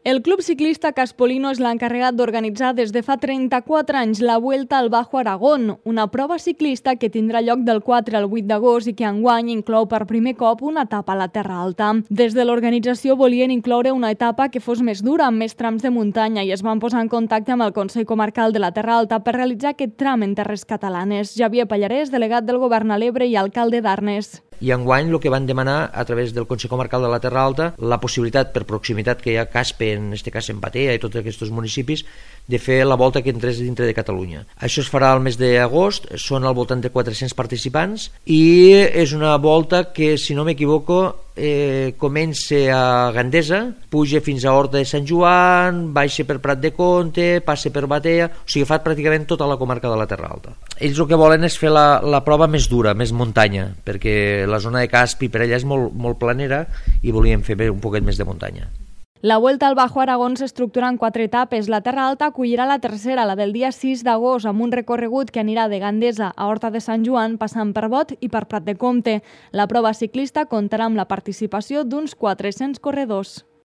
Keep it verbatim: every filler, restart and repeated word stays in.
El Club Ciclista Caspolino és l'encarregat d'organitzar des de fa trenta-quatre anys la Vuelta al Bajo Aragón, una prova ciclista que tindrà lloc del quatre al vuit d'agost i que enguany inclou per primer cop una etapa a la Terra Alta. Des de l'organització volien incloure una etapa que fos més dura, amb més trams de muntanya, i es van posar en contacte amb el Consell Comarcal de la Terra Alta per realitzar aquest tram en terres catalanes. Javier Pallarès, delegat del Govern a l'Ebre i alcalde d'Arnes. I enguany el que van demanar a través del Consell Comarcal de la Terra Alta, la possibilitat per proximitat que hi ha a Caspe, en aquest cas en Batea i tots aquests municipis, de fer la volta que entrés dintre de Catalunya. Això es farà al mes d'agost, són al voltant de quatre-cents participants i és una volta que, si no m'equivoco, eh, comença a Gandesa, puja fins a Horta de Sant Joan, baixa per Prat de Comte, passa per Batea, o sigui, fa pràcticament tota la comarca de la Terra Alta. Ells el que volen és fer la, la prova més dura, més muntanya, perquè la zona de Caspi per allà és molt, molt planera i volíem fer un poquet més de muntanya. La Vuelta al Bajo Aragón s'estructura en quatre etapes. La Terra Alta acollirà la tercera, la del dia sis d'agost, amb un recorregut que anirà de Gandesa a Horta de Sant Joan, passant per Bot i per Prat de Comte. La prova ciclista comptarà amb la participació d'uns quatre-cents corredors.